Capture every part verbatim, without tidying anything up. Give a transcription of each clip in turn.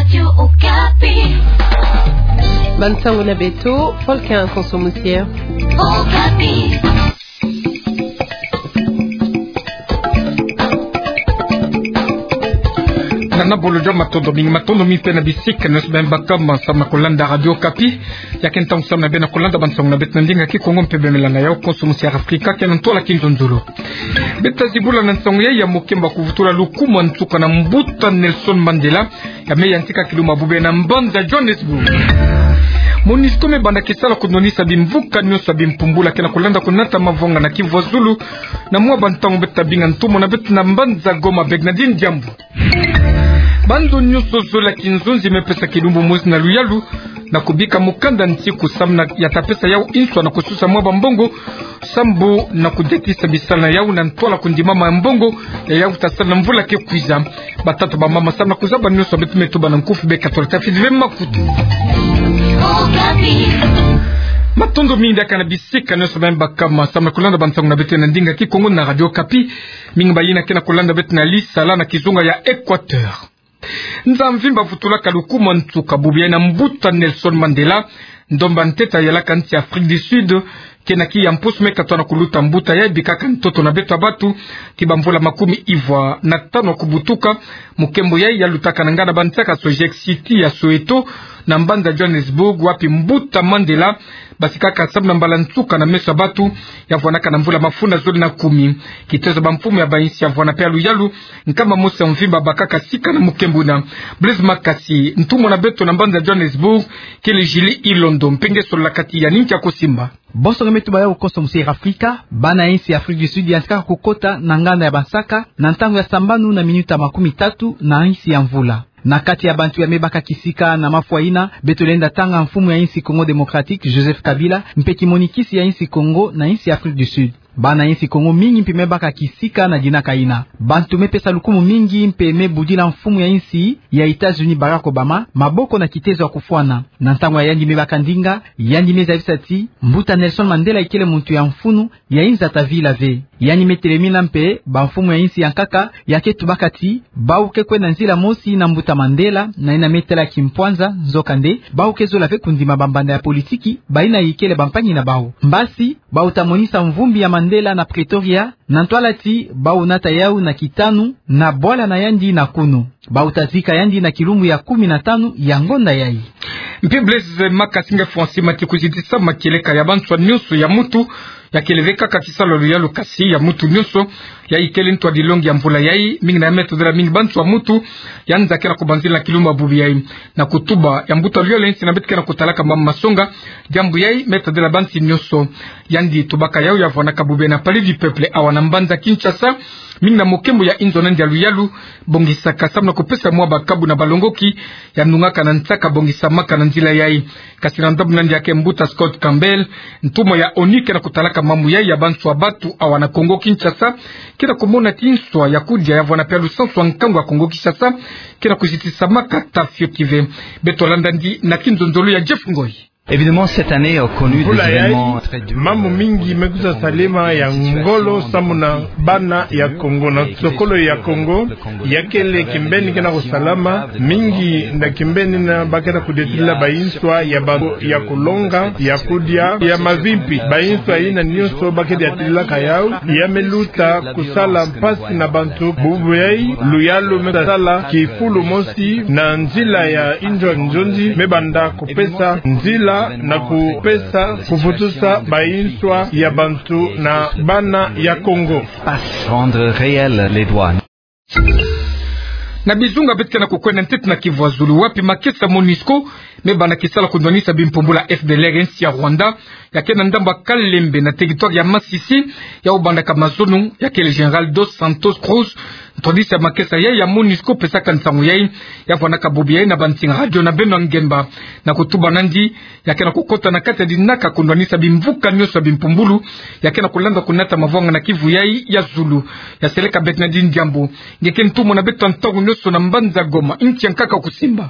Radio Okapi. Bansango na beto, Paul Ken Konso Musia. Okapi. Nana bolo jo matondo mingi, matondo mingi mpe na bisika nyonso beno baka ma samu na kolanda Radio Okapi. Ya ke ntangu samu na beno kolanda bansango na beto na ndinga Kikongo mpe bemela na yau Konso Musia Afrika, ke na ntwala kinzonzolo. Beta zibula na nsangu ya, ya mokemba kuvutula lukumu ya nsuka na mbuta Nelson Mandela, ya me yantika kiluma bubu na mbanza Johannesburg. MONUSCO me banda kisala kundwanisa bimvuka nyonso ya bimpumbulu ya ke na kolanda kunata mavwanga na Kivu ya Zulu, na mwa bantangu beta binga ntumwa na beto na mbanza Goma, Bernardine Diambu. Bantu nyonso zole ya kinzonzi me pesa kilumbu mosi na luyalu, na kubika mukanda nsiku samu na ya ta pesa yau inswa na kususa mwa bambongo, sambu na kudiatisa bisala na yau na ntwala kundimama ya mbongo ya yau ta sala na mvula ke kwiza. Batata, bamama, samu na kuzaba nyonso beto me tuba na nkufi, beka tula tafidi ve makutu. Matondo mingi diaka na bisika nyonso beno baka ma samu na kolanda bansango na beto na ndinga Kikongo na Radio Okapi. Mingi bayina ke na kolanda beto na lisala na kizunga ya Equateur. Nza mvimba vutulaka lukumu ya nsuka bubu ya na mbuta Nelson Mandela, ndomba ntete yalaka nsi Afrique du Sud, ke na kiya mpusu me katwa na kuluta. Mbuta yayi bikaka ntoto na beto ya bantu ti bamvula makumi ivwa na tanu ya kubutuka. Mokembo yayi yalutaka na nganda bansaka Sojec City ya Soweto, na mbanza Johannesburg, wapi mbuta Mandela basikaka samu na mbala nsuka na meso ya bantu, ya vwanaka na mvula mafunda zole na kumi. Kitezo bamfumu ya bainsi ya vwana mpe ya luyalu, nkama mosi ya mvimba bakaka sika na mokembo wuna. Blaise Makasi, ntumwa na beto na mbanza Johannesburg, kele Julie Ilondo, mpe nge solola kati ya nini kia kusimba. Bonso nge me tuba yau Konso Musia Afrika, bana insi ya Afrique du Sud yantikaka kukota na nganda ya bansaka na ntangu ya sambanu na minuta makumi tatu na insi ya mvula. Na kati ya bantu ya me baka kisika na mafwa yina, beto lenda tanga mfumu ya insi Congo Démocratique, Joseph Kabila, mpe kimonikisi ya insi Congo na insi Afrique du Sud. Bana insi Congo mingi mpe me baka kisika na dinaka yina. Bantu me pesa lukumu mingi mpe me budila mfumu ya insi ya États-Unis, Barack Obama, maboko na kitezo ya kufwana. Na ntangu ya yandi me baka ndinga, yandi me zabisa ti mbuta Nelson Mandela ikele muntu ya mfunu, ya inzata vila ve. Yandi me telemina mpe bamfumu ya insi ya nkaka ya ke tubaka ti bawu ke kwenda nzila mosi na mbuta Mandela, na yina me tala kimpwanza, nzokande bawu ke zola ve kundima bambanda ya politiki bayina ikele bampangi na bawu. Mbasi, bawu ta monisa mvumbi ya Mandela na Pretoria, na ntwala ti bawu nata yau na kitanu na bwala na yandi na kunu. Bawu ta zika yandi na kilumbu ya kumi na tanu ya ngonda yayi. Mpe Blaise Makasi, nge Francis Mati, kuzitisa makieleka ya banswa nyonso ya mutu, ya kele ve kaka kisalu ya luyalu, kasi ya mutu nyonso, ya ikele ntwadilongi ya mvula yayi, mingi na ya me tadila mingi banswa mutu ya nza ke na kubanzila na kilumbu bubu yayi. Na kutuba ya mbuta luyalu ya insi na beto ke na kutalaka mama masonga, diambu yayi me tadila bansi nyonso. Yandi tubaka yau ya vwanaka bubu na Palais du Peuple awa na mbanza Kinshasa, mingi na mokembo ya inzo na yandi ya luyalu bongisaka samu na kupesa mwa bakabu na balongoki ya ndungaka na nsaka bongisamaka na nzila yayi. Kasi na ndambu na yandi ya ke mbuta Scott Campbell, ntumwa ya ONU ke na kutalaka mambu yayi ya banswa bantu awa na Congo Kinshasa, ke na kumona ti nswa ya kudia ya vwana mpe ya lusansu ya nkangu ya Congo Kinshasa ke na kuzitisamaka ta fioti ve. Beto landa yandi na kinzonzolo ya Jeff Ngoi. Évidemment, cette année a connu des événements très durs. Mvula yayi, mambu mingi me kwiza salama ya ngolo samu na bana ya Congo. Na sokolo ya Congo, ya kele kimpeni ke na kusalama, mingi na kimpeni yina ba ke na kudiatila banswa ya ba-, ya kulonga, ya kudia, ya mavimpi. Banswa yina nyonso ba ke diatilaka yau, ya me luta kusala mpasi na bantu. Bubu yayi, luyalu me sala kifulu mosi na nzila ya inzo nzonzi, me banda kupesa nzila na kupesa kuvutusa banswa ya bantu na bana ya Congo. Pas rendre réel les droits. Na bizunga beto ke na kukwenda, ntete na Kivu ya Zulu, wapi makesa MONUSCO me banda kisala kundwanisa bimpumbulu ya F D L R ya insi ya Rwanda, ya ke na ndambu ya Kalembe na territoire ya Masisi, ya obandaka mazono, ya kele Général Dos Santos Cruz, ntwadisi ya makesa yayi ya MONUSCO pesaka nsangu yayi, ya vwanaka bubu yayi na bansinga radio na Beno Ngemba. Na kutuba na yandi, ya ke na kukota na kati ya dinaka kundwanisa bimvuka nyonso ya bimpumbulu, ya ke na kulanda kunata mavwanga na Kivu yayi ya Zulu. Ya seleka Bernardine Diambu, nge ke ntumwa na beto ntangu nyonso na mbanza Goma, nki ya nkaka kusimba.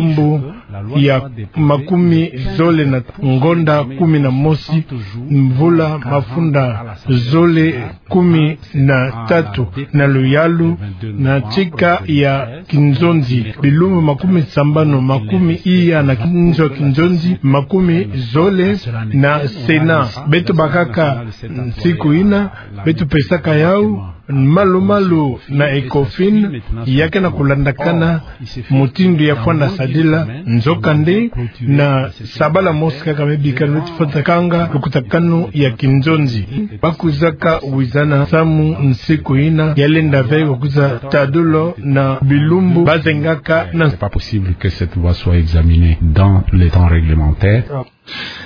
bilumbu ya makumi zole na ngonda kumi na mosi, mvula mafunda zole kumi na tatu na luyalu, na tika ya kinzonzi, bilumbu makumi sambanu, makumi iya na nzo ya kinzonzi, makumi zole na sena. Beto bakaka nsiku ina, beto pesaka yau malu-malu na ECOFIN, ya ke na kulandakana mutindu ya fwana sadila. Nzokande, na sabala mosi kaka me bikana beto fwatakanga lukutakanu ya kinzonzi. Bakwizaka wizana samu nsiku ina, ya lenda ve wa kwiza tadolo na bilumbu bazengaka na. C'est pas possible que cette loi soit examinée dans les temps réglementaires.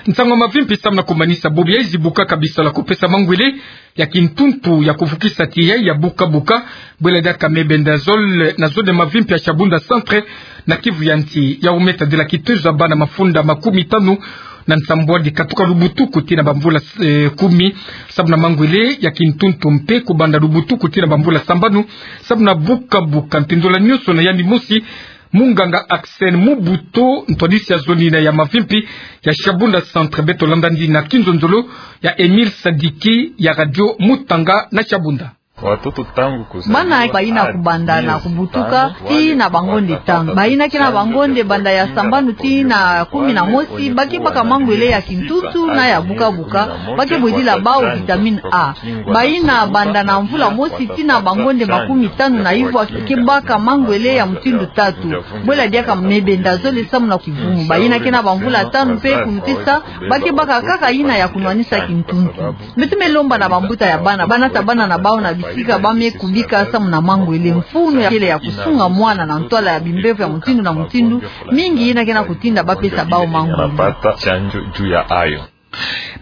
Nsangu mavimpi samu na kumanisa bobo ya izi bukaka bisalu ya kupesa mangwele ya kintuntu ya kuvukisa tiya ya buka-buka, bwela diaka mebendazole na zone mavimpi ya Shabunda Centre na Kivu ya nsi. Yau me tadila kitezo ya bana mafunda makumi tanu na nsambwadi katuka lubutuku tii na bamvula, eh, kumi, samu na mangwele ya kintuntu mpe kubanda lubutuku tii na bamvula sambanu, samu na buka-buka ntindola nyonso na yandi mosi, Munganga Axel Mubuto, ntwadisi ya zonina ya mavimpi ya Shabunda Centre, beto landa ndi na kinzonzolo ya Emile Sadiki ya Radio Mutanga na Shabunda. Bana bayina kubanda na kubutuka tii na bangonde tanu. Bayina ke na bangonde banda ya sambanu tii na kumi na mosi, ba ke baka mangwele ya kintuntu na ya bukabuka, ba ke bwedila bawu vitamine A. Bayina banda na mvula mosi tii na bangonde makumi tanu na ivwa ke baka mangwele ya mutindu tatu. Bwela diaka mebenda zole samu na kivumu. Bayina ke na bamvula tanu mpe kunutisa, ba ke baka kaka yina ya kunwanisa kintuntu. Beto me lomba na bambuta ya bana, bana ta bana na bawu na bisika ba me kubika samu na mangwele. Mfunu ya kele ya kusunga mwana na ntwala ya bimbevo ya mutindu na mutindu, mingi yina ke na kutinda ba pesa bawu mangwele.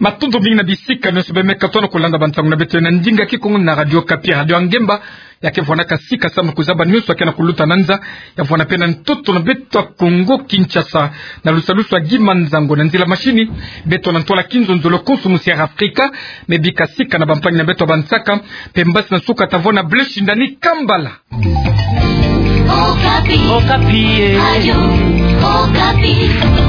Matondo mingi na bisika nyonso ba me katuka na kulanda bansangu na beto na ndinga Kikongo na Radio Okapi, Radio ya ngemba, ya ke vwanaka sika samu na kuzaba nyonso ya ke na kuluta na nza, ya vwana mpe na ntoto na beto ya Kongo Kinshasa. Na lusalusu ya Guy Manzango, na nzila mashini, beto na ntwala kinzonzolo Konso Musière Afrika me bika sika na bampangi na beto ya Bansaka mpe mbasi na suka ta vwa na Blaise Shindani Kambala. Okapi. Okapi, eh. Radio Okapi.